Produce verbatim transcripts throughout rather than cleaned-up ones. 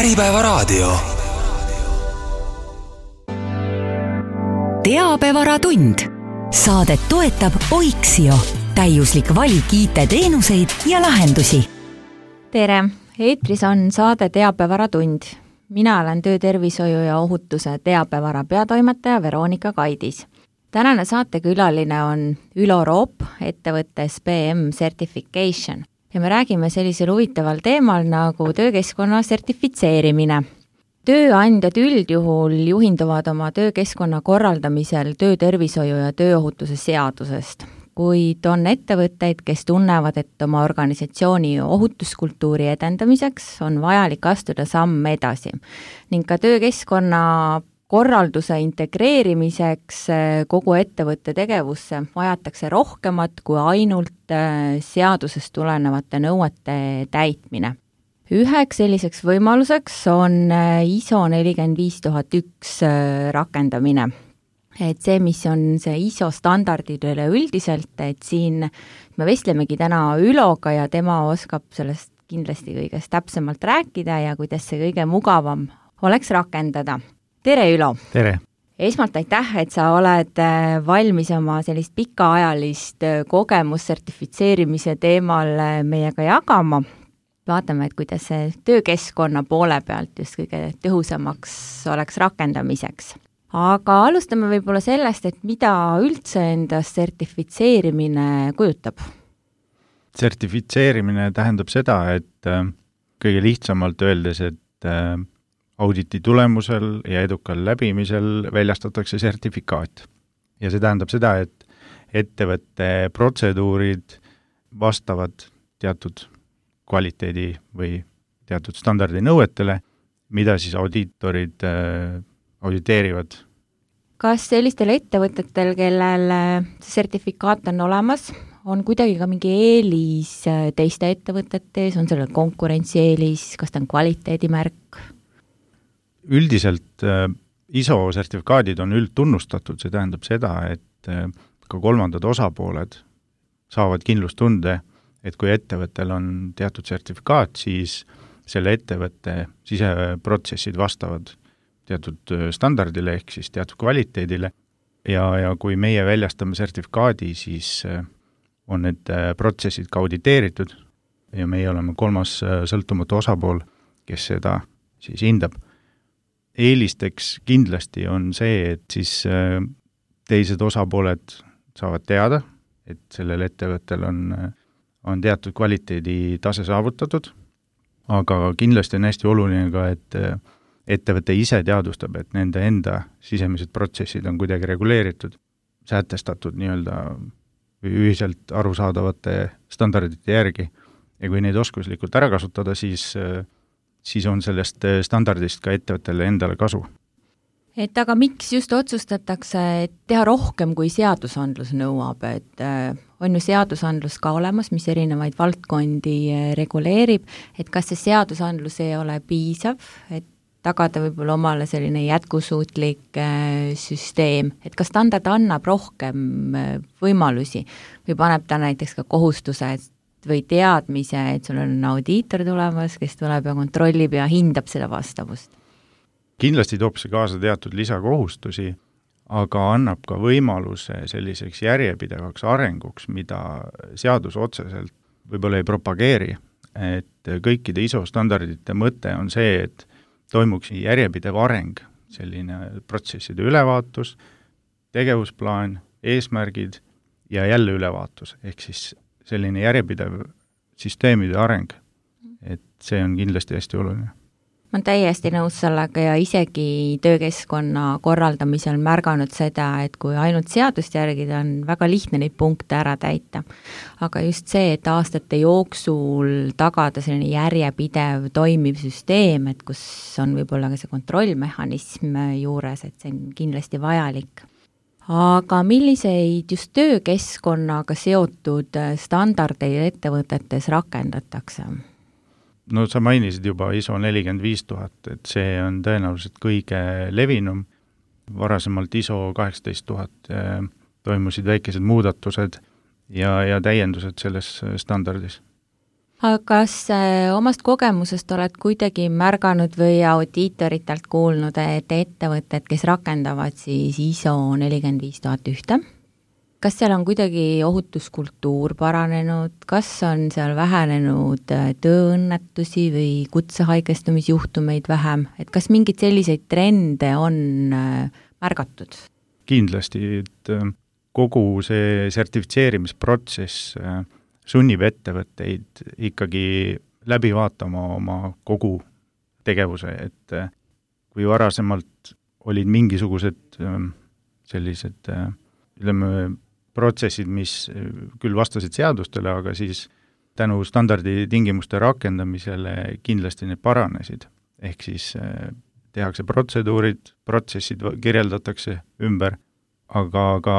Äripäevaraadio. Teabevaratund. Saadet toetab Oiksio. Täiuslik valik I T-teenuseid ja lahendusi. Tere! Eetris on saade Teabevaratund. Mina olen töötervishoiu ja ohutuse teabevara peatoimetaja Veronika Kaidis. Tänane saatekülaline on Ülo Roop ettevõttes B M Certification ja me räägime sellisel huvitaval teemal nagu töökeskkonna sertifitseerimine. Tööandjad üldjuhul juhinduvad oma töökeskkonna korraldamisel töötervishoiu ja tööohutuse seadusest, kuid on ettevõtteid, kes tunnevad, et oma organisatsiooni ohutuskultuuri edendamiseks on vajalik astuda samm edasi ning ka töökeskkonna korralduse integreerimiseks kogu ettevõtte tegevusse vajatakse rohkemat kui ainult seadusest tulenevate nõuete täitmine. Üheks selliseks võimaluseks on I S O nelikümmend viis tuhat üks rakendamine. Et see, mis on see I S O standardid üleüldiselt, et siin me vestlemegi täna Üloga ja tema oskab sellest kindlasti kõigest täpsemalt rääkida ja kuidas see kõige mugavam oleks rakendada. Tere, Ülo! Tere! Esmalt aitäh, et sa oled valmis oma sellist pikaajalist kogemus sertifitseerimise teemal meiega jagama. Vaatame, et kuidas see töökeskkonna poole pealt just kõige tõhusamaks oleks rakendamiseks. Aga alustame võib-olla sellest, et mida üldse endast sertifitseerimine kujutab? Sertifitseerimine tähendab seda, et kõige lihtsamalt öeldes, et auditi tulemusel ja edukal läbimisel väljastatakse sertifikaat. Ja see tähendab seda, et ettevõtte protseduurid vastavad teatud kvaliteedi või teatud standardi nõuetele, mida siis audiitorid äh, auditeerivad. Kas sellistel ettevõtetel, kellel see sertifikaat on olemas, on kuidagi ka mingi eelis teiste ettevõtetes, on sellel konkurentsieelis, kas ta on kvaliteedimärk? Üldiselt äh, I S O sertifikaadid on üldtunnustatud, see tähendab seda, et äh, ka kolmandad osapooled saavad kindlustunde, et kui ettevõttel on teatud sertifikaat, siis selle ettevõtte siseprotsessid vastavad teatud standardile ehk siis teatud kvaliteedile ja, ja kui meie väljastame sertifikaadi, siis äh, on need äh, protsessid ka auditeeritud ja meie oleme kolmas äh, sõltumatu osapool, kes seda siis hindab. Eelisteks kindlasti on see, et siis teised osapooled saavad teada, et sellel ettevõttel on, on teatud kvaliteedi tase saavutatud, aga kindlasti on hästi oluline ka, et ettevõte ise teadvustab, et nende enda sisemised protsessid on kuidagi reguleeritud, sätestatud nii-öelda ühiselt arusaadavate standardite järgi ja kui neid oskuslikult ära kasutada, siis siis on sellest standardist ka ettevõttele endale kasu. Et aga miks just otsustatakse teha rohkem kui seadusandlus nõuab, et on ju seadusandlus ka olemas, mis erinevaid valdkondi reguleerib, et kas see seadusandlus ei ole piisav, et tagada võib-olla omale selline jätkusuutlik süsteem, et kas standard annab rohkem võimalusi või paneb ta näiteks ka kohustuse, et või teadmise, et sul on audiitor tulemas, kes tuleb ja kontrollib ja hindab seda vastavust? Kindlasti toob see kaasa teatud lisakohustusi, aga annab ka võimaluse selliseks järjepidevaks arenguks, mida seadus otseselt võib-olla ei propageeri. Et kõikide I S O standardite mõte on see, et toimuks järjepidev areng, selline protsesside ülevaatus, tegevusplaan, eesmärgid ja jälle ülevaatus, ehk siis selline järjepidev süsteemide areng, et see on kindlasti hästi oluline. Ma olen täiesti nõus sellega ja isegi töökeskkonna korraldamisel märganud seda, et kui ainult seadust järgida, on väga lihtne neid punkte ära täita. Aga just see, et aastate jooksul tagada selline järjepidev toimiv süsteem, et kus on võib-olla ka see kontrollmehhanism juures, et see on kindlasti vajalik. Aga milliseid just töökeskkonnaga seotud standardeid ettevõtetes rakendatakse? No sa mainisid juba I S O nelikümmend viis tuhat, et see on tõenäoliselt kõige levinum. Varasemalt I S O kaheksateist tuhat toimusid väikesed muudatused ja, ja täiendused selles standardis. aga kas äh, omast kogemusest oled kuidagi märganud või audiitoritelt kuulnud, et ettevõtted, kes rakendavad siis I S O nelikümmend viis tuhat üks, kas seal on kuidagi ohutuskultuur paranenud, kas on seal vähenenud tööõnnetusi või kutsehaigestumisjuhtumeid vähem, et kas mingeid selliseid trende on äh, märgatud? Kindlasti, et kogu see sertifitseerimisprotsess äh, sunnib ettevõtteid ikkagi läbi vaatama oma kogu tegevuse, et kui varasemalt olid mingisugused sellised, ütleme, protsessid, mis küll vastasid seadustele, aga siis tänu standardi tingimuste rakendamisele kindlasti need paranesid. Ehk siis tehakse protseduurid, protsessid kirjeldatakse ümber, aga ka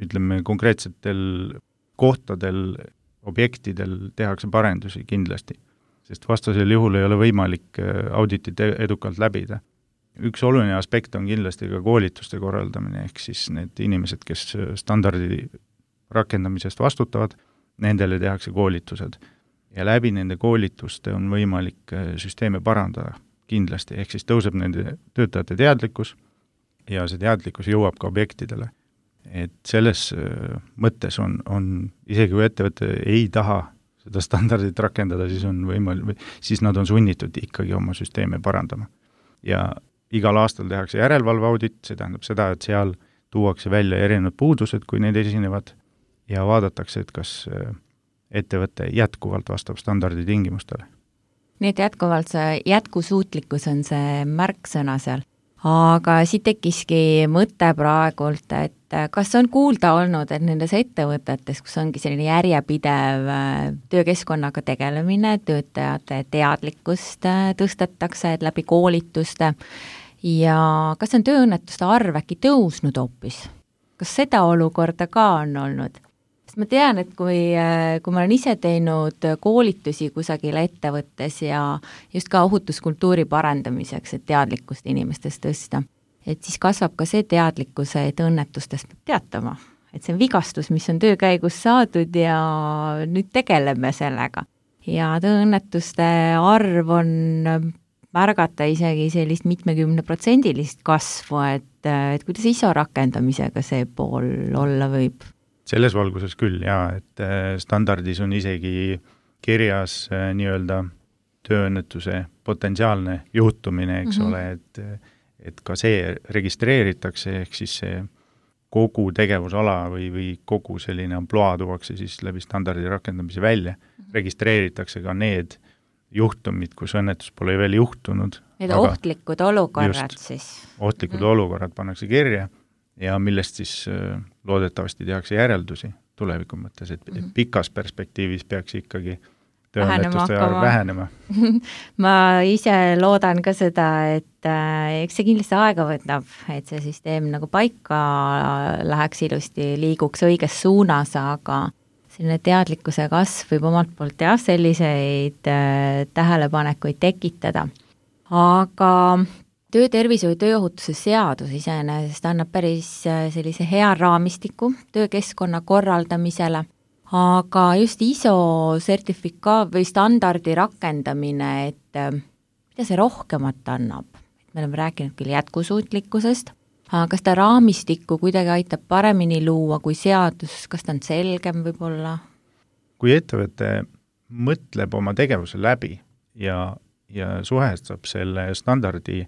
ütleme, konkreetsetel kohtadel, objektidel tehakse parendusi kindlasti, sest vastasel juhul ei ole võimalik auditit edukalt läbida. Üks oluline aspekt on kindlasti ka koolituste korraldamine, ehk siis need inimesed, kes standardi rakendamisest vastutavad, nendele tehakse koolitused. Ja läbi nende koolituste on võimalik süsteeme parandada kindlasti, ehk siis tõuseb nende töötajate teadlikkus ja see teadlikkus jõuab ka objektidele. Et selles mõttes on, on isegi kui ettevõte ei taha seda standardit rakendada, siis on võimalik, siis nad on sunnitud ikkagi oma süsteeme parandama. Ja igal aastal tehakse järelevalveaudit, see tähendab seda, et seal tuuakse välja erinevad puudused, kui need esinevad, ja vaadatakse, et kas ettevõte jätkuvalt vastab standardi tingimustele. Nii et jätkuvalt see jätkusuutlikkus on see märksõna seal. Aga siit tekkiski mõte praegult, et kas on kuulda olnud, et nendes ettevõtetes, kus ongi selline järjepidev töökeskkonnaga tegelemine, töötajate teadlikkust tõstetakse läbi koolituste ja kas on tööõnnetuste arv äkki tõusnud hoopis? Kas seda olukorda ka on olnud? Sest ma tean, et kui, kui ma olen ise teinud koolitusi kusagil ettevõttes ja just ka ohutuskultuuri parandamiseks, et teadlikkust inimestest tõsta, et siis kasvab ka see teadlikkus, et õnnetustest peab teatama. Et see on vigastus, mis on töö käigus saadud ja nüüd tegeleme sellega. Ja tööõnnetuste arv on märgata isegi sellist mitmekümne protsendilist kasvu, et, et kuidas I S O rakendamisega see pool olla võib? Selles valguses küll, jaa, et standardis on isegi kirjas nii-öelda tööõnnetuse potentsiaalne juhtumine, eks mm-hmm. ole, et, et ka see registreeritakse, ehk siis see kogu tegevusala või, või kogu selline amploa tuuakse siis läbi standardi rakendamise välja, mm-hmm. registreeritakse ka need juhtumid, kus õnnetus pole veel juhtunud. Need ohtlikud olukorrad just, siis. Ohtlikud mm-hmm. olukorrad pannakse kirja ja millest siis loodetavasti tehakse järeldusi tuleviku mõttes, et mm-hmm. pikas perspektiivis peaks ikkagi tööõnnetuste arv vähenema. Ma ise loodan ka seda, et äh, eks see kindlasti aega võtab, et see süsteem nagu paika läheks ilusti, liiguks õiges suunas, aga selline teadlikkuse kasv võib omalt poolt jah, selliseid äh, tähelepanekuid tekitada. Aga töötervishoiu tööohutuse seadus iseenesest annab päris sellise hea raamistiku töökeskkonna korraldamisele, aga just I S O sertifika või standardi rakendamine, et mida see rohkemat annab? Me oleme rääkinud küll jätkusuutlikkusest, aga kas ta raamistikku kuidagi aitab paremini luua kui seadus, kas ta on selgem võib-olla? Kui ettevõte mõtleb oma tegevuse läbi ja, ja suhestab selle standardi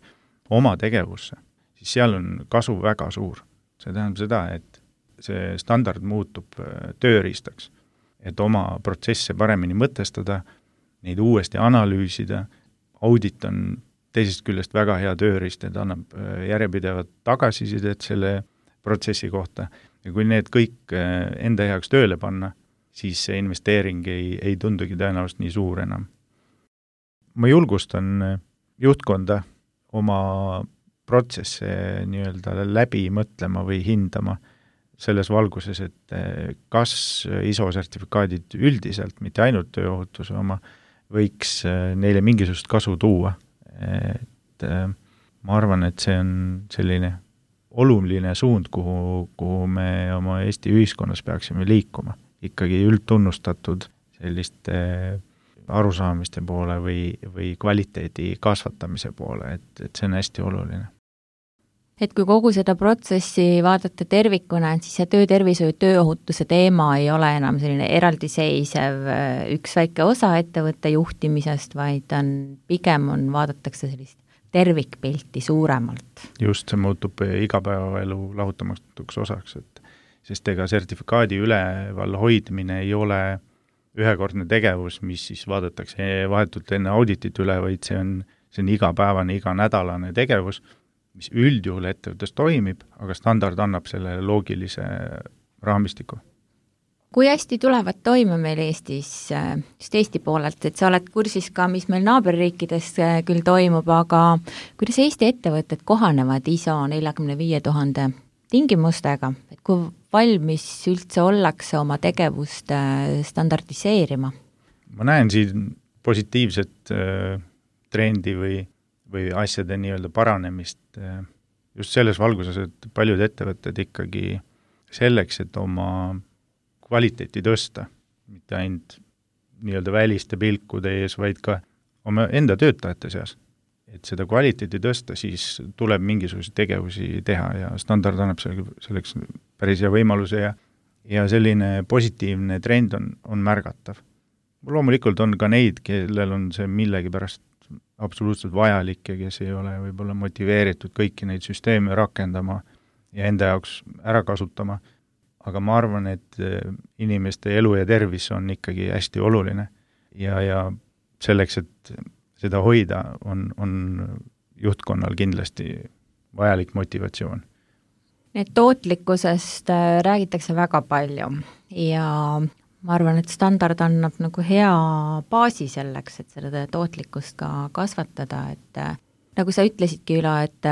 oma tegevusse, siis seal on kasu väga suur. See tähendab seda, et see standard muutub tööriistaks, et oma protsesse paremini mõtestada, neid uuesti analüüsida. Audit on teisest küljest väga hea tööriist, et annab järjepidevat tagasisidet selle protsessi kohta. Ja kui need kõik enda heaks tööle panna, siis see investeering ei, ei tundugi tõenäoliselt nii suur enam. Ma julgustan juhtkonda oma protsesse nii-öelda läbi mõtlema või hindama selles valguses, et kas I S O sertifikaadid üldiselt, mitte ainult tööohutuse oma, võiks neile mingisugust kasu tuua. Et ma arvan, et see on selline oluline suund, kuhu, kuhu me oma Eesti ühiskonnas peaksime liikuma. Ikkagi üldtunnustatud selliste arusaamiste poole või, või kvaliteedi kasvatamise poole, et, et see on hästi oluline. Et kui kogu seda protsessi vaadata tervikuna, et siis see töötervishoiu tööohutuse teema ei ole enam selline eraldiseisev üks väike osa ettevõtte juhtimisest, vaid on, pigem on, vaadatakse sellist tervikpilti suuremalt. Just, see muutub igapäevaelu lahutamatuks osaks, et sest ega sertifikaadi üleval hoidmine ei ole ühekordne tegevus, mis siis vaadatakse vahetult enne auditit üle, vaid see on, see on igapäevane, iganädalane tegevus, mis üldjuhul ettevõttes toimib, aga standard annab selle loogilise raamistiku. Kui hästi tulevad toime meil Eestis, just Eesti poolelt, et sa oled kursis ka, mis meil naaberriikides küll toimub, aga kuidas Eesti ettevõtted kohanevad I S O neljakümne viie tuhande tingimustega, et kui valmis üldse ollakse oma tegevust standardiseerima? Ma näen siin positiivset äh, trendi või või asjade nii-öelda paranemist just selles valguses, et paljud ettevõtted ikkagi selleks, et oma kvaliteeti tõsta, mitte ainult nii-öelda väliste pilkude ees, vaid ka oma enda töötajate seas. Et seda kvaliteeti tõsta, siis tuleb mingisuguseid tegevusi teha ja standard annab selleks päris hea võimaluse ja, ja selline positiivne trend on, on märgatav. Loomulikult on ka neid, kellel on see millegi pärast absoluutselt vajalik ja kes ei ole võib-olla motiveeritud kõiki neid süsteeme rakendama ja enda jaoks ära kasutama, aga ma arvan, et inimeste elu ja tervis on ikkagi hästi oluline ja, ja selleks, et seda hoida, on, on juhtkonnal kindlasti vajalik motivatsioon. Need tootlikkusest räägitakse väga palju ja ma arvan, et standard annab nagu hea baasi selleks, et seda tootlikkust ka kasvatada, et nagu sa ütlesidki, Ülo, et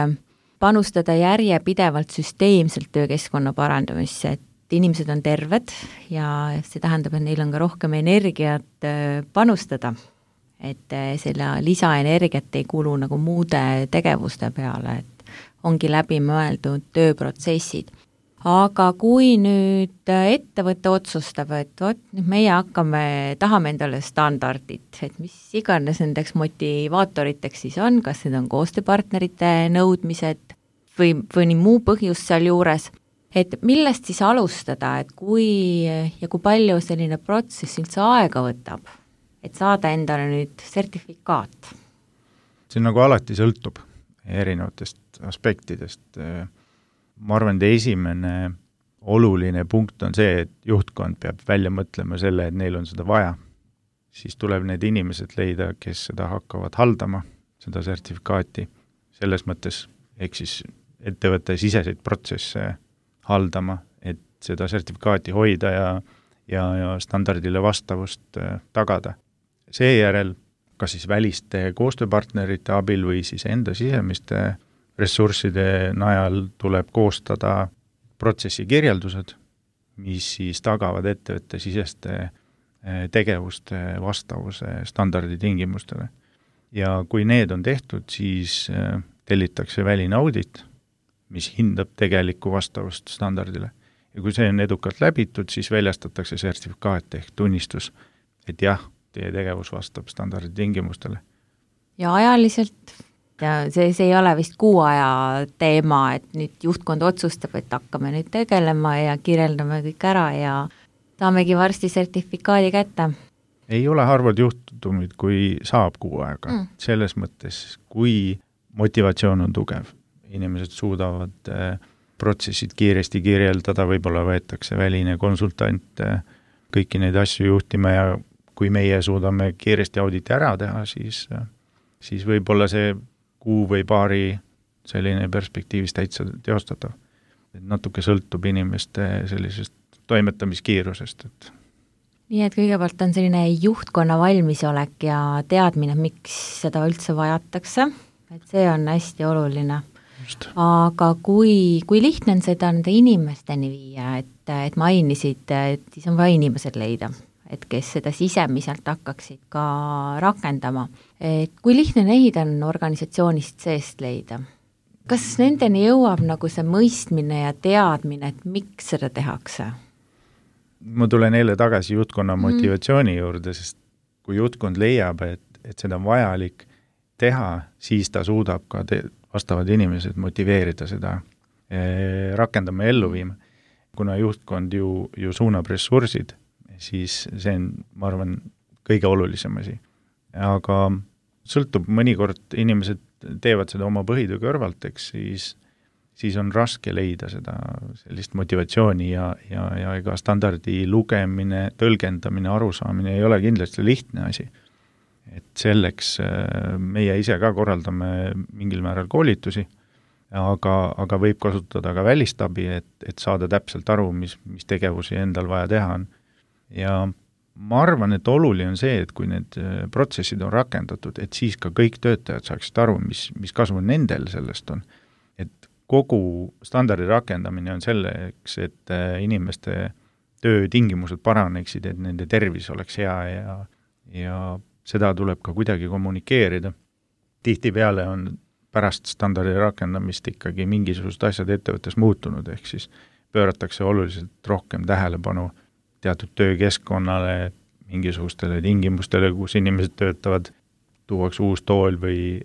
panustada järjepidevalt süsteemselt töökeskkonna parandamisse, et inimesed on terved ja see tähendab, et neil on ka rohkem energiat panustada, et selle lisaenergiat ei kulu nagu muude tegevuste peale, et ongi läbi mõeldud tööprotsessid. Aga kui nüüd ettevõte otsustab, et vot, meie hakkame, tahame endale standardit, et mis iganes nendeks motivaatoriteks siis on, kas need on koostööpartnerite nõudmised või, või nii muu põhjus seal juures, et millest siis alustada, et kui ja kui palju selline protsess üldse aega võtab, et saada endale nüüd sertifikaat? See nagu alati sõltub erinevatest aspektidest. Ma arvan, et esimene oluline punkt on see, et juhtkond peab välja mõtlema selle, et neil on seda vaja. Siis tuleb need inimesed leida, kes seda hakkavad haldama, seda sertifikaati. Selles mõttes, ehk siis ettevõtte siseseid protsesse haldama, et seda sertifikaati hoida ja, ja, ja standardile vastavust tagada. Seejärel, kas siis väliste koostööpartnerite abil või siis enda sisemiste ressursside najal tuleb koostada protsessi kirjeldused, mis siis tagavad ettevõtte siseste tegevuste vastavuse standardi tingimustele. Ja kui need on tehtud, siis tellitakse väline audit, mis hindab tegelikku vastavust standardile. Ja kui see on edukalt läbitud, siis väljastatakse sertifikaat ehk tunnistus, et jah, teie tegevus vastab standardi tingimustele. Ja ajaliselt ja see, see ei ole vist kuu aja teema, et nüüd juhtkond otsustab, et hakkame nüüd tegelema ja kirjeldame kõik ära ja saamegi varsti sertifikaadi kätte. Ei ole harvad juhtumid, kui saab kuu aega. Mm. Selles mõttes, kui motivatsioon on tugev, inimesed suudavad äh, protsessid kiiresti kirjeldada, võib-olla võetakse väline konsultant äh, kõiki neid asju juhtima ja kui meie suudame kiiresti auditi ära teha, siis, äh, siis võib-olla see kuu või paari selline perspektiivis täitsa teostatav. Et natuke sõltub inimeste sellisest toimetamiskiirusest. Et nii et kõigepealt on selline juhtkonna valmisolek ja teadmine, miks seda üldse vajatakse, et see on hästi oluline. Just. Aga kui, kui lihtne on seda nende inimesteni viia, et, et mainisid, et siis on vaja inimesed leida, et kes seda sisemiselt hakkaksid ka rakendama. Et kui lihtne neid on organisatsioonist seest leida? Kas nendeni jõuab nagu see mõistmine ja teadmine, et miks seda tehakse? Ma tulen eile tagasi juhtkonna motivatsiooni mm. juurde, sest kui juhtkond leiab, et, et seda on vajalik teha, siis ta suudab ka te, vastavad inimesed motiveerida seda eh, rakendama ja ellu viima. Kuna juhtkond ju, ju suunab ressursid, siis see on, ma arvan, kõige olulisem asi. Aga sõltub, mõnikord inimesed teevad seda oma põhitöö kõrvalt, eks siis, siis on raske leida seda sellist motivatsiooni ja, ja, ja ega standardi lugemine, tõlgendamine, arusaamine ei ole kindlasti lihtne asi. Et selleks meie ise ka korraldame mingil määral koolitusi, aga, aga võib kasutada ka välistabi, et, et saada täpselt aru, mis, mis tegevusi endal vaja teha on. Ja ma arvan, et oluline on see, et kui need protsessid on rakendatud, et siis ka kõik töötajad saaksid aru, mis, mis kasu nendel sellest on. Et kogu standardi rakendamine on selleks, et inimeste töötingimused paraneksid, et nende tervis oleks hea ja, ja seda tuleb ka kuidagi kommunikeerida. Tihtipeale on pärast standardi rakendamist ikkagi mingisugused asjad ettevõttes muutunud, ehk siis pööratakse oluliselt rohkem tähelepanu teatud töökeskkonnale, mingisugustele tingimustele, kus inimesed töötavad, tuuakse uus tool või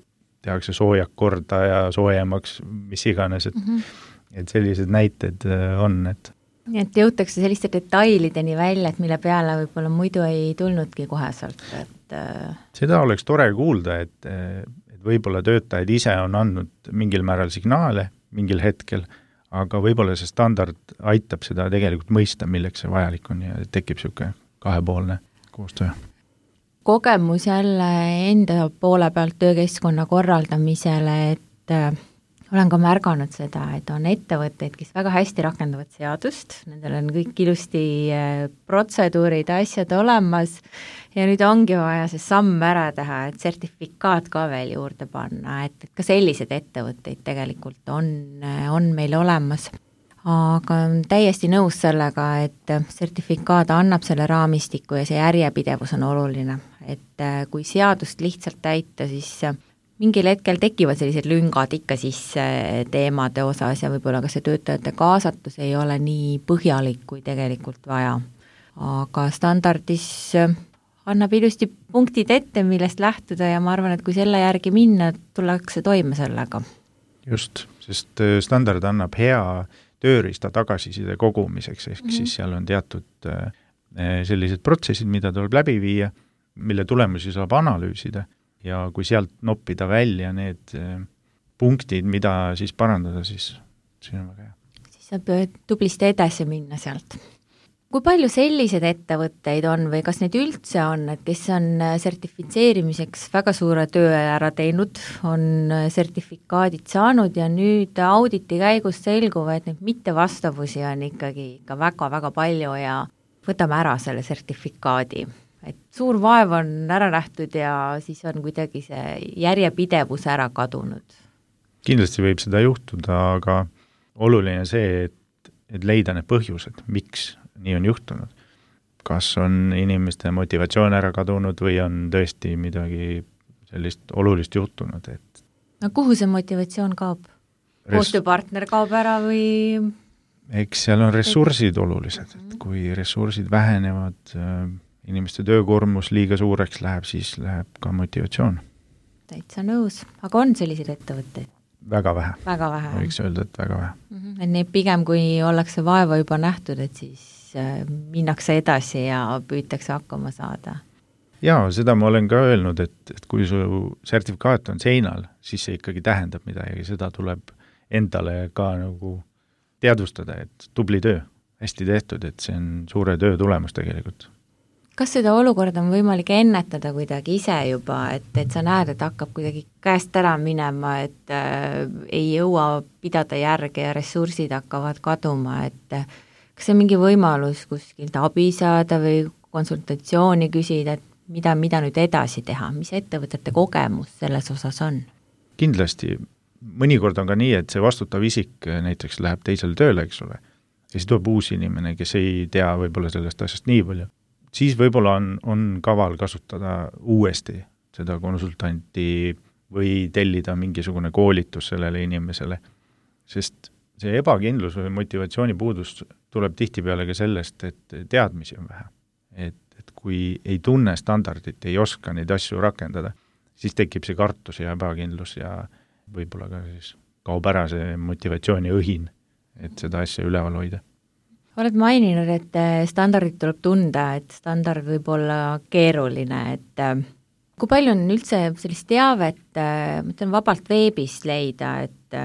tehakse soojak korda ja soojemaks, mis iganes, et, mm-hmm. et sellised näited on, et et jõutakse selliste detailideni välja, et mille peale võib-olla muidu ei tulnudki koheselt, et seda oleks tore kuulda, et, et võib-olla töötajad ise on andnud mingil määral signaale mingil hetkel, aga võib-olla see standard aitab seda tegelikult mõista, milleks see vajalik on ja tekib niisugune kahepoolne koostöö. Kogemus jälle enda poole pealt töökeskkonna korraldamisele, et olen ka märganud seda, et on ettevõtteid, kes väga hästi rakendavad seadust, nendel on kõik ilusti protseduurid, asjad olemas ja nüüd ongi vaja see samm ära teha, et sertifikaat ka veel juurde panna, et, et ka sellised ettevõtteid tegelikult on, on meil olemas. Aga täiesti nõus sellega, et sertifikaat annab selle raamistiku ja see järjepidevus on oluline, et kui seadust lihtsalt täita, siis mingil hetkel tekivad sellised lüngad ikka sisse teemade osas ja võib-olla ka see töötajate kaasatus ei ole nii põhjalik, kui tegelikult vaja. Aga standardis annab ilusti punktid ette, millest lähtuda ja ma arvan, et kui selle järgi minna, tullakse toime sellega. Just, sest standard annab hea tööriista tagasiside kogumiseks, ehk mm-hmm. siis seal on teatud sellised protsessid, mida tuleb läbi viia, mille tulemusi saab analüüsida. Ja kui sealt noppida välja need punktid, mida siis parandada, siis siin on väga hea. Siis saab tublisti edasi minna sealt. Kui palju sellised ettevõtteid on või kas neid üldse on, et kes on sertifitseerimiseks väga suure töö ära teinud, on sertifikaadid saanud ja nüüd auditi käigus selguva, et neid mittevastavusi on ikkagi ikka väga-väga palju ja võtame ära selle sertifikaadi. Et suur vaev on ära nähtud ja siis on kuidagi see järjepidevus ära kadunud. Kindlasti võib seda juhtuda, aga oluline see, et, et leida need põhjused, miks nii on juhtunud. Kas on inimeste motivatsioon ära kadunud või on tõesti midagi sellist olulist juhtunud, et no kuhu see motivatsioon kaob? Res... Koostööpartner kaob ära või? Eks seal on ressursid olulised, et kui ressursid vähenevad, inimeste töökoormus liiga suureks läheb, siis läheb ka motivatsioon. Täitsa nõus. Aga on selliseid ettevõtteid? Väga vähe. Väga vähe. Võiks öelda, et väga vähe. Mm-hmm. Et nii pigem, kui ollakse vaeva juba nähtud, et siis minnakse edasi ja püütakse hakkama saada. Jaa, seda ma olen ka öelnud, et, et kui su sertifikaat on seinal, siis see ikkagi tähendab midagi. Seda tuleb endale ka nagu teadvustada, et tubli töö, hästi tehtud, et see on suure töö tulemus tegelikult. Kas seda olukorda on võimalik ennetada kuidagi ise juba, et, et sa näed, et hakkab kuidagi käest ära minema, et äh, ei jõua pidada järge ja ressursid hakkavad kaduma, et äh, kas see on mingi võimalus kuskilt abi saada või konsultatsiooni küsida, et mida, mida nüüd edasi teha, mis ettevõtete kogemus selles osas on? Kindlasti. Mõnikord on ka nii, et see vastutav isik näiteks läheb teisele tööle, eks ole, ja siis tuleb uus inimene, kes ei tea võib-olla sellest asjast nii palju. Siis võib-olla on, on kaval kasutada uuesti seda konsultanti või tellida mingisugune koolitus sellele inimesele, sest see ebakindlus või motivatsiooni puudus tuleb tihtipeale ka sellest, et teadmisi on vähe. Et, et et kui ei tunne standardit, ei oska neid asju rakendada, siis tekib see kartus ja ebakindlus ja võib-olla ka siis kaob ära see motivatsiooni õhin, et seda asja üleval hoida. Oled maininud, et standardit tuleb tunda, et standard võib olla keeruline, et kui palju on üldse sellist teavet, ma ütlen vabalt veebist leida, et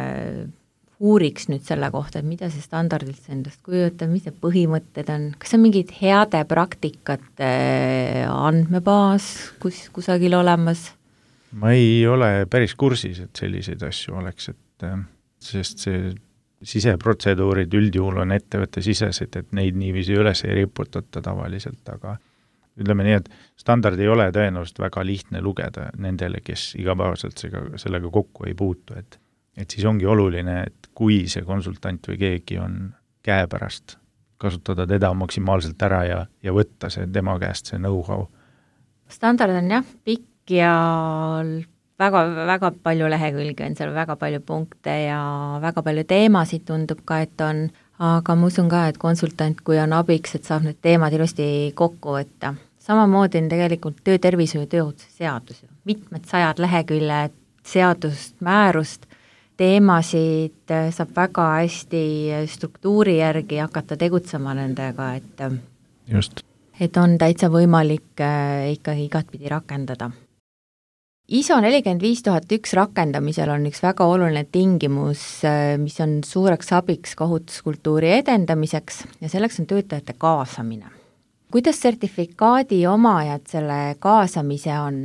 uuriks nüüd selle kohta, et mida see standardilt endast kujutab, mis need põhimõtted on, kas on mingid heade praktikate andmebaas kus, kusagil olemas? Ma ei ole päris kursis, et selliseid asju oleks, et sest see siseprotseduurid üldjuhul on ettevõtte sisesed, et neid niiviisi üles ei riputata tavaliselt, aga ütleme nii, et standard ei ole tõenäoliselt väga lihtne lugeda nendele, kes igapäevaselt sellega kokku ei puutu, et, et siis ongi oluline, et kui see konsultant või keegi on käepärast, kasutada teda maksimaalselt ära ja, ja võtta see tema käest see know-how. Standard on jah, pikk ja väga, väga palju lehekülgi on seal, väga palju punkte ja väga palju teemasid tundub ka, et on, aga ma usun ka, et konsultant, kui on abiks, et saab need teemad ilusti kokku võtta. Samamoodi on tegelikult töötervishoiu ja tööohutuse seadus, mitmed sajad leheküljed seadust, määrust, teemasid saab väga hästi struktuuri järgi hakata tegutsema nendega, et, Just. et on täitsa võimalik ikkagi igatpidi rakendada. I S O nelikümmend viis tuhat üks rakendamisel on üks väga oluline tingimus, mis on suureks abiks ka ohutuskultuuri edendamiseks ja selleks on töötajate kaasamine. Kuidas sertifikaadi omajad selle kaasamise on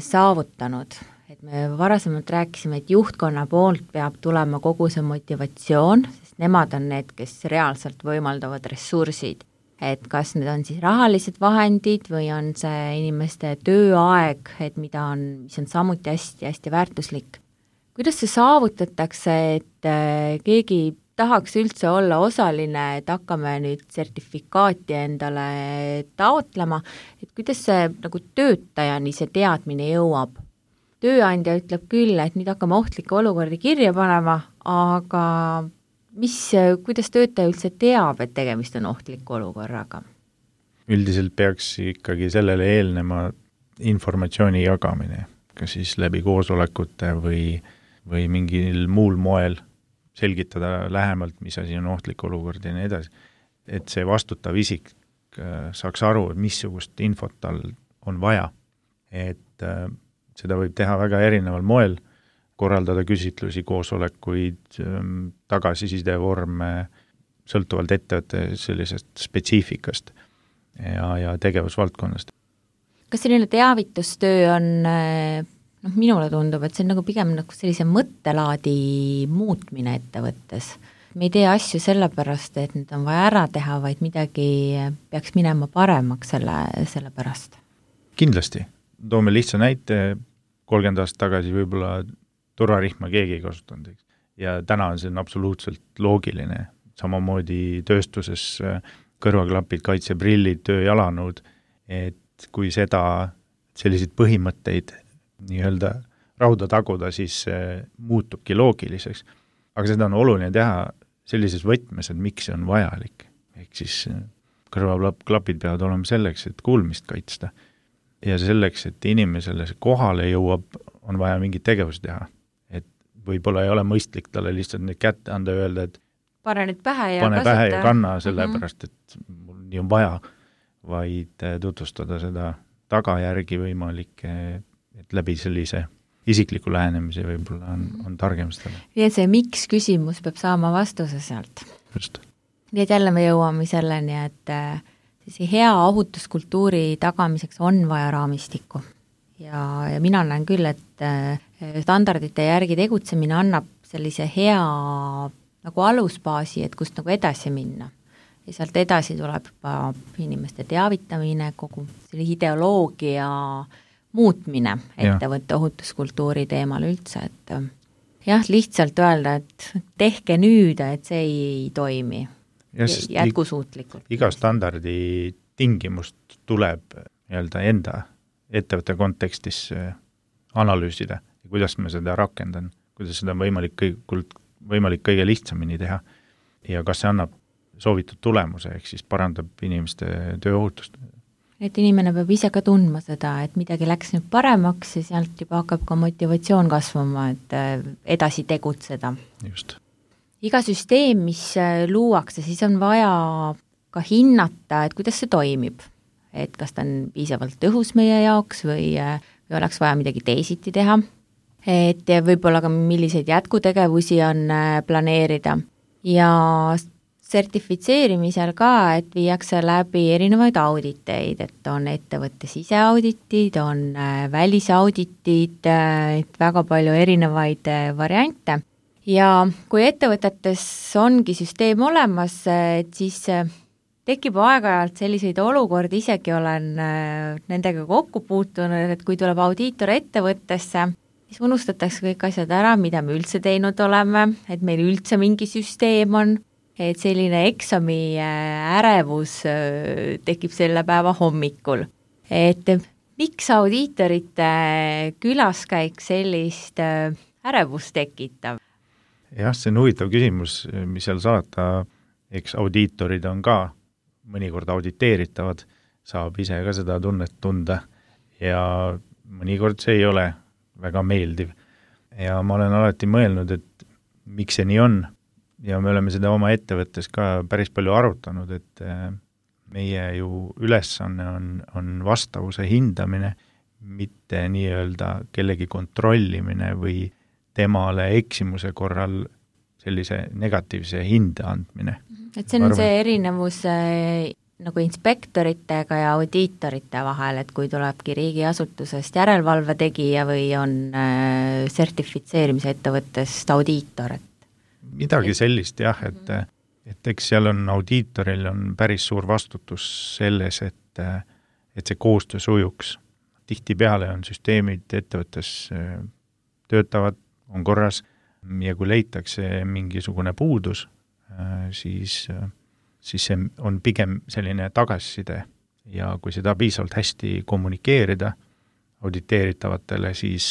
saavutanud? Et me varasemalt rääkisime, et juhtkonna poolt peab tulema kogu see motivatsioon, sest nemad on need, kes reaalselt võimaldavad ressursid. Et kas need on siis rahalised vahendid või on see inimeste tööaeg, et mida on, mis on samuti hästi-hästi väärtuslik. Kuidas see saavutatakse, et keegi tahaks üldse olla osaline, et hakkame nüüd sertifikaati endale taotlema, et kuidas see nagu töötajani see teadmine jõuab? Tööandja ütleb küll, et nüüd hakkame ohtlikke olukordi kirja panema, aga mis, kuidas töötaja üldse teab, et tegemist on ohtliku olukorraga? Üldiselt peaks ikkagi sellele eelnema informatsiooni jagamine, kas siis läbi koosolekute või, või mingil muul moel selgitada lähemalt, mis asi on ohtlik olukord ja nii edasi. Et see vastutav isik saaks aru, missugust infot tal on vaja. Et seda võib teha väga erineval moel, korraldada küsitlusi, koosolekuid, tagasiside vorme, sõltuvalt ettevõtte sellisest spetsiifikast ja, ja tegevusvaldkonnast. Kas selline teavitustöö on, noh, minule tundub, et see on nagu pigem nagu sellise mõttelaadi muutmine ettevõttes. Me ei tee asju sellepärast, et need on vaja ära teha, vaid midagi peaks minema paremaks selle, selle pärast. Kindlasti. Toome lihtsa näite, kolmkümmend aastat tagasi võib-olla turvarihma keegi ei kasutanud. Ja täna on see absoluutselt loogiline. Samamoodi tööstuses kõrvaklapid, kaitseprillid, tööjalanõud, et kui seda, selliseid põhimõtteid nii-öelda rauda taguda, siis muutubki loogiliseks. Aga seda on oluline teha sellises võtmes, et miks see on vajalik. Ehk siis kõrvaklapid peavad olema selleks, et kuulmist kaitsta. Ja selleks, et inimesele see kohale jõuab, on vaja mingit tegevust teha. Võib-olla ei ole mõistlik talle lihtsalt nüüd kätte anda ja öelda, et pane nüüd pähe ja pane kasuta. Pähe ja kanna sellepärast, et mul nii on vaja, vaid tutvustada seda tagajärgi võimalik, et läbi sellise isikliku lähenemise võib-olla on, on targem seda. Ja see miks küsimus peab saama vastuse sealt. Just. Nii et jälle me jõuame selleni, et see hea ohutuskultuuri tagamiseks on vaja raamistikku. Ja, ja mina näen küll, et standardite järgi tegutsemine annab sellise hea nagu alusbaasi, et kust nagu edasi minna. Ja sealt edasi tuleb juba inimeste teavitamine, kogu selle ideoloogia muutmine ettevõtte ohutuskultuuri teemal üldse. Et jah, lihtsalt öelda, et tehke nüüd, et see ei toimi ja, jätkusuutlikult. Iga standardi tingimust tuleb nii-öelda enda ettevõtte kontekstis analüüsida ja kuidas me seda rakendan, kuidas seda on võimalik, kõik, võimalik kõige lihtsamini teha ja kas see annab soovitud tulemuse, ehk siis parandab inimeste tööohutust. et inimene peab ise ka tundma seda, et midagi läks nüüd paremaks ja sealt juba hakkab ka motivatsioon kasvama, et edasi tegutseda. Just. Iga süsteem, mis luuakse, siis on vaja ka hinnata, et kuidas see toimib. Et kas ta on piisavalt tõhus meie jaoks või, või oleks vaja midagi teisiti teha. Et võib-olla ka milliseid jätkutegevusi on planeerida. Ja sertifitseerimisel ka, et viiakse läbi erinevaid auditeid, et on ettevõtte siseauditid, on välisauditid, et väga palju erinevaid variante. Ja kui ettevõtetes ongi süsteem olemas, et siis tekib aeg-ajalt selliseid olukordi, isegi olen nendega kokku puutunud, et kui tuleb audiitor ettevõttesse, siis unustatakse kõik asjad ära, mida me üldse teinud oleme, et meil üldse mingi süsteem on, et selline eksami ärevus tekib selle päeva hommikul. Et miks audiitorite külaskäik sellist ärevust tekitab? Jah, see on huvitav küsimus, mis seal saata, eks audiitorid on ka mõnikord auditeeritavad, saab ise ka seda tunnet tunda ja mõnikord see ei ole väga meeldiv. Ja ma olen alati mõelnud, et miks see nii on ja me oleme seda oma ettevõttes ka päris palju arutanud, et meie ju ülesanne on, on vastavuse hindamine, mitte nii-öelda kellegi kontrollimine või temale eksimuse korral sellise negatiivse hinde andmine. Et see on Arvan. see erinevus nagu inspektoritega ja audiitorite vahel, et kui tulebki riigiasutusest järelevalve tegija või on sertifitseerimise ettevõttest audiitor. Midagi sellist jah, et, et eks seal on audiitoril on päris suur vastutus selles, et, et see koostöö sujuks. Tihtipeale on süsteemid ettevõttes töötavad, on korras ja kui leitakse mingisugune puudus, siis, siis see on pigem selline tagasiside ja kui seda piisavalt hästi kommunikeerida auditeeritavatele, siis,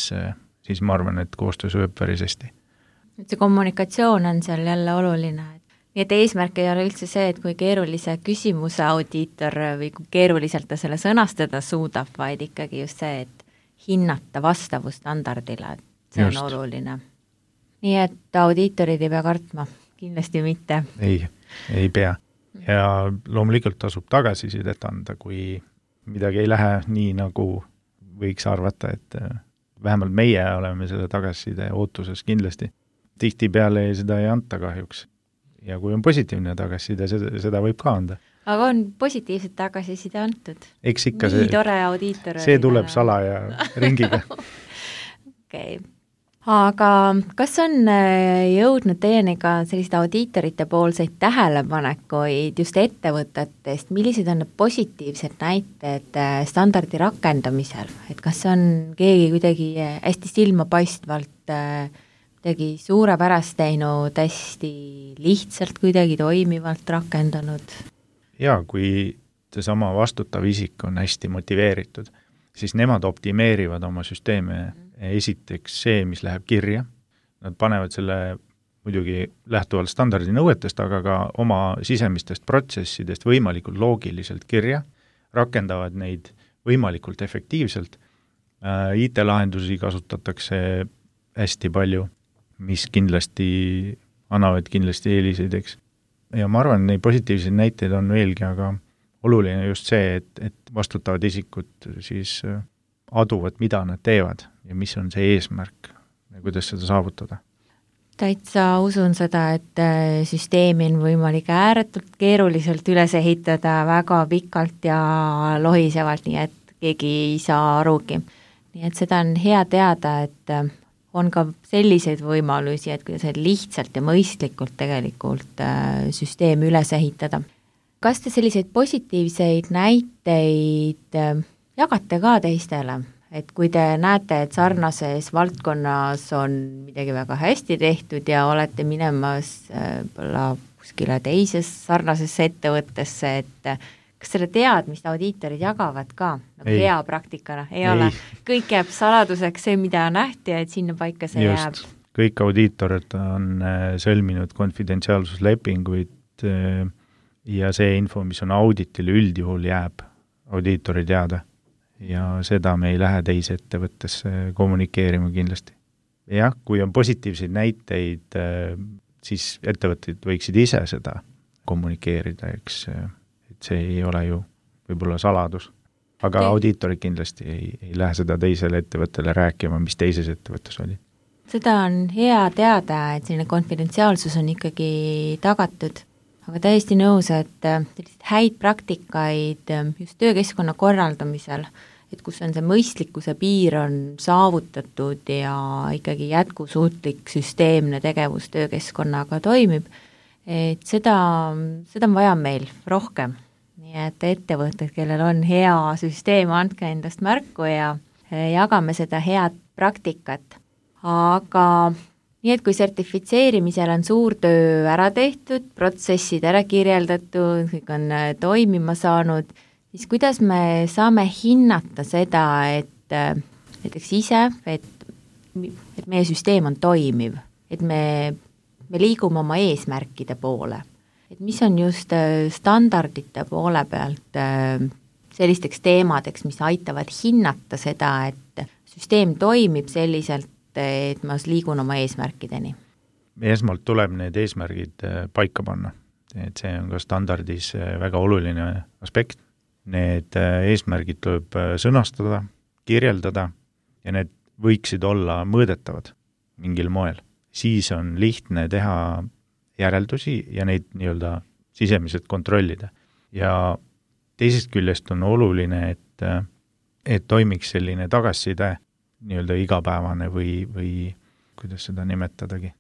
siis ma arvan, et koostöö sujub päris hästi. Et see kommunikatsioon on seal jälle oluline. Nii et eesmärk ei ole üldse see, et kui keerulise küsimuse audiitor või kui keeruliselt ta selle sõnastada suudab, vaid ikkagi just see, et hinnata vastavustandardile, et see just. On oluline. Nii et audiitorid ei pea kartma, kindlasti mitte. Ei, ei pea. Ja loomulikult tasub tagasisidet anda, kui midagi ei lähe nii, nagu võiks arvata, et vähemalt meie oleme selle tagasiside ootuses kindlasti. Tihtipeale seda ei anta kahjuks. Ja kui on positiivne tagasiside, seda, seda võib ka anda. Aga on positiivset tagasiside antud? Eks ikka nii see, tore audiitor. See tuleb sala ja ringiga. Okei. Okay. Aga kas on jõudnud teieni ka selliste audiitorite poolseid tähelepanekuid just ettevõtetest, millised on need positiivsed näited standardi rakendamisel, et kas on keegi kuidagi hästi silmapaistvalt kuidagi suurepärast teinud, hästi lihtsalt kuidagi toimivalt rakendanud? Jaa, kui seesama vastutav isik on hästi motiveeritud, siis nemad optimeerivad oma süsteeme esiteks see, mis läheb kirja. Nad panevad selle muidugi lähtuvalt standardi nõuetest, aga ka oma sisemistest protsessidest võimalikult loogiliselt kirja, rakendavad neid võimalikult efektiivselt. I T-lahendusi kasutatakse hästi palju, mis kindlasti annavad kindlasti eeliseid, eks. Ja ma arvan, neid positiivseid näiteid on veelgi, aga oluline just see, et, et vastutavad isikud siis aduvad, mida nad teevad ja mis on see eesmärk ja kuidas seda saavutada. Täitsa usun seda, et süsteemi on võimalik ääretult keeruliselt üles ehitada väga pikalt ja lohisevalt, nii et keegi ei saa arugi. Nii et seda on hea teada, et on ka selliseid võimalusi, et kuidas lihtsalt ja mõistlikult tegelikult süsteemi üles ehitada. Kas te selliseid positiivseid näiteid jagate ka teistele? Et kui te näete, et sarnases valdkonnas on midagi väga hästi tehtud ja olete minemas kuskile teises sarnasesse ettevõttesse, et kas selle teadmist audiitorid jagavad ka nagu ei. Hea praktikana? Ei, ei ole. Kõik jääb saladuseks see, mida nähti, et sinna paika see just. Jääb. Kõik audiitorid on sõlminud konfidentsiaalsuslepinguid ja see info, mis on auditil üldjuhul jääb audiitori teada ja seda me ei lähe teise ettevõttesse kommunikeerima kindlasti. Jah, kui on positiivseid näiteid, siis ettevõtted võiksid ise seda kommunikeerida, eks, et see ei ole ju võib-olla saladus. Aga okay. Audiitorid kindlasti ei, ei lähe seda teisele ettevõttele rääkima, mis teises ettevõttes oli. Seda on hea teada, et selline konfidentsiaalsus on ikkagi tagatud, aga täiesti nõus, et häid praktikaid just töökeskkonna korraldamisel, et kus on see mõistlikkuse piir on saavutatud ja ikkagi jätkusuutlik süsteemne tegevus töökeskkonnaga toimib, et seda, seda on vaja meil rohkem. Nii et ettevõtted, kellel on hea süsteem, andke endast märku ja jagame seda head praktikat. Aga nii, et kui sertifitseerimisel on suur töö ära tehtud, protsessid ära kirjeldatud, kõik on toimima saanud, siis kuidas me saame hinnata seda, et näiteks ise, et, et meie süsteem on toimiv, et me, me liigume oma eesmärkide poole. Et mis on just standardite poole pealt sellisteks teemadeks, mis aitavad hinnata seda, et süsteem toimib selliselt, et ma liigun oma eesmärkideni? Esmalt tuleb need eesmärgid paika panna, et see on ka standardis väga oluline aspekt. Need eesmärgid tuleb sõnastada, kirjeldada ja need võiksid olla mõõdetavad mingil moel. Siis on lihtne teha järeldusi ja neid nii-öelda sisemiselt kontrollida. Ja teisest küljest on oluline, et, et toimiks selline tagasiside nii-öelda igapäevane või, või kuidas seda nimetadagi?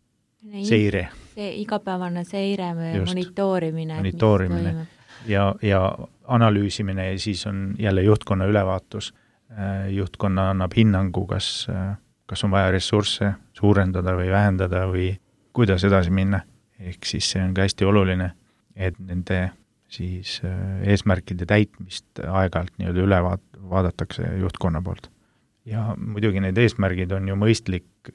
Seire. See igapäevane seire, monitoorimine. Monitoorimine ja, ja analüüsimine ja siis on jälle juhtkonna ülevaatus. Juhtkonna annab hinnangu, kas, kas on vaja ressursse suurendada või vähendada või kuidas edasi minna. Ehk siis see on ka hästi oluline, et nende siis eesmärkide täitmist aeg-ajalt nii-öelda üle vaadatakse juhtkonna poolt. Ja muidugi need eesmärgid on ju mõistlik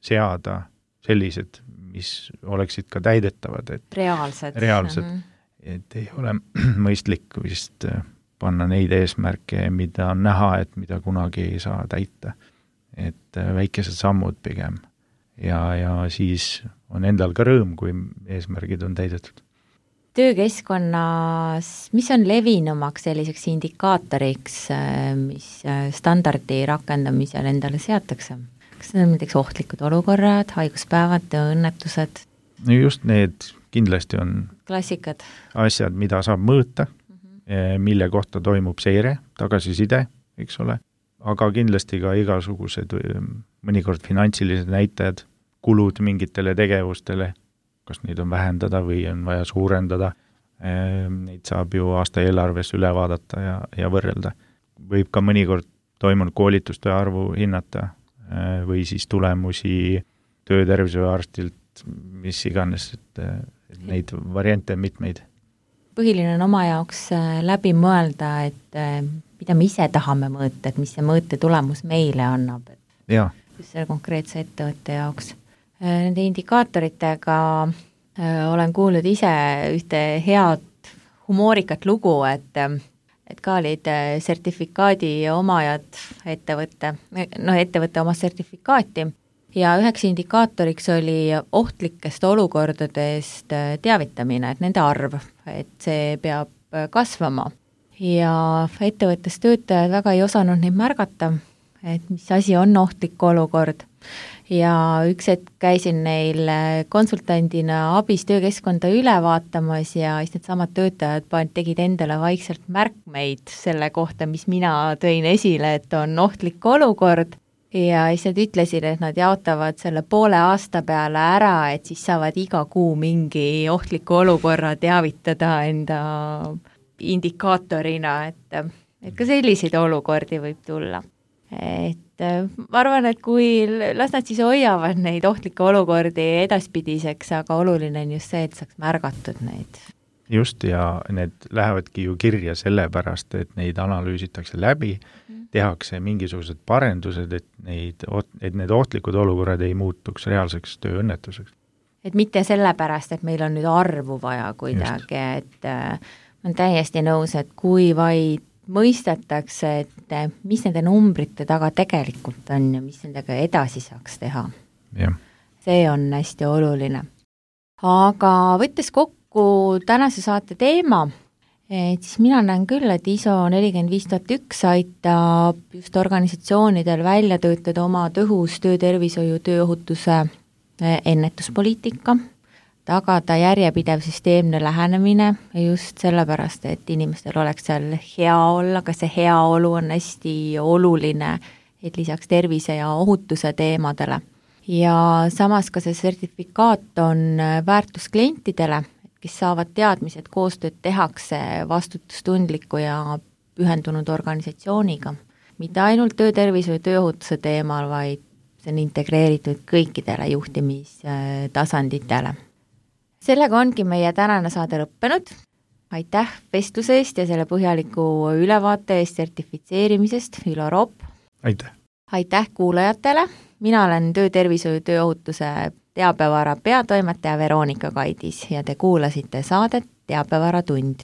seada sellised, mis oleksid ka täidetavad. Et reaalsed. Reaalsed, mm-hmm. Et ei ole mõistlik vist panna neid eesmärke, mida on näha, et mida kunagi ei saa täita. Et väikesed sammud pigem. Ja, ja siis on endal ka rõõm, kui eesmärgid on täidetud. Töökeskkonnas, mis on levinumaks selliseks indikaatoriks, mis standardi rakendamisel endale seatakse? Kas need on näiteks ohtlikud olukorrad, haiguspäevad, õnnetused? No just need kindlasti on klassikad. Asjad, mida saab mõõta, mm-hmm. mille kohta toimub seire, tagasiside, eks ole. Aga kindlasti ka igasugused mõnikord finantsilised näitajad, kulud mingitele tegevustele, kas neid on vähendada või on vaja suurendada. Neid saab ju aasta eelarves üle vaadata ja, ja võrrelda. Võib ka mõnikord toimunud koolituste arvu hinnata või siis tulemusi töötervishoiuarstilt, mis iganes, et, et neid variante on mitmeid. Põhiline on oma jaoks läbi mõelda, et mida me ise tahame mõõta, et mis see mõõte tulemus meile annab. Ja. Just selle konkreetse ettevõtte jaoks. Nende indikaatoritega olen kuulnud ise ühte head humoorikat lugu, et, et ka olid sertifikaadi omajad ettevõtte, no ettevõtte omas sertifikaati ja üheks indikaatoriks oli ohtlikest olukordadest teavitamine, et nende arv, et see peab kasvama. Ja ettevõttes töötajad väga ei osanud neid märgata, et mis asi on ohtlik olukord. Ja üks hetk käisin neil konsultandina abis töökeskkonda üle vaatamas ja siis need samad töötajad tegid endale vaikselt märkmeid selle kohta, mis mina tõin esile, et on ohtlik olukord. Ja siis nad ütlesid, et nad jaotavad selle poole aasta peale ära, et siis saavad iga kuu mingi ohtliku olukorra teavitada enda indikaatorina, et, et ka selliseid olukordi võib tulla. Et ma arvan, et kui las nad siis hoiavad neid ohtlikke olukordi edaspidiseks, aga oluline on just see, et saaks märgatud neid. Just, ja need lähevadki ju kirja sellepärast, et neid analüüsitakse läbi, tehakse mingisugused parendused, et, neid, et need ohtlikud olukorrad ei muutuks reaalseks tööõnnetuseks. Et mitte sellepärast, et meil on nüüd arvu vaja kuidagi, et on täiesti nõus, et kui vaid mõistetakse, et mis nende numbrite taga tegelikult on ja mis nendega edasi saaks teha. Ja. See on hästi oluline. Aga võttes kokku tänase saate teema, et siis mina näen küll, et I S O nelikümmend viis tuhat üks aitab just organisatsioonidel välja töötada oma tõhus töötervishoiu tööohutuse ennetuspoliitika, tagada järjepidev süsteemne lähenemine just sellepärast, et inimestel oleks seal hea olla, ka see heaolu on hästi oluline, et lisaks tervise ja ohutuse teemadele. Ja samas ka see sertifikaat on väärtus klientidele, kes saavad teadmised, koostööd tehakse vastutustundliku ja pühendunud organisatsiooniga. Mitte ainult töötervishoiu ja tööohutuse teemal, vaid see on integreeritud kõikidele juhtimistasanditele. Sellega ongi meie tänane saade lõppenud. Aitäh vestluse eest ja selle põhjaliku ülevaate eest sertifitseerimisest, Ülo Roop. Aitäh! Aitäh kuulajatele! Mina olen töötervishoiu tööohutuse teabevara peatoimetaja Veronika Kaidis ja te kuulasite saadet Teabevara tund.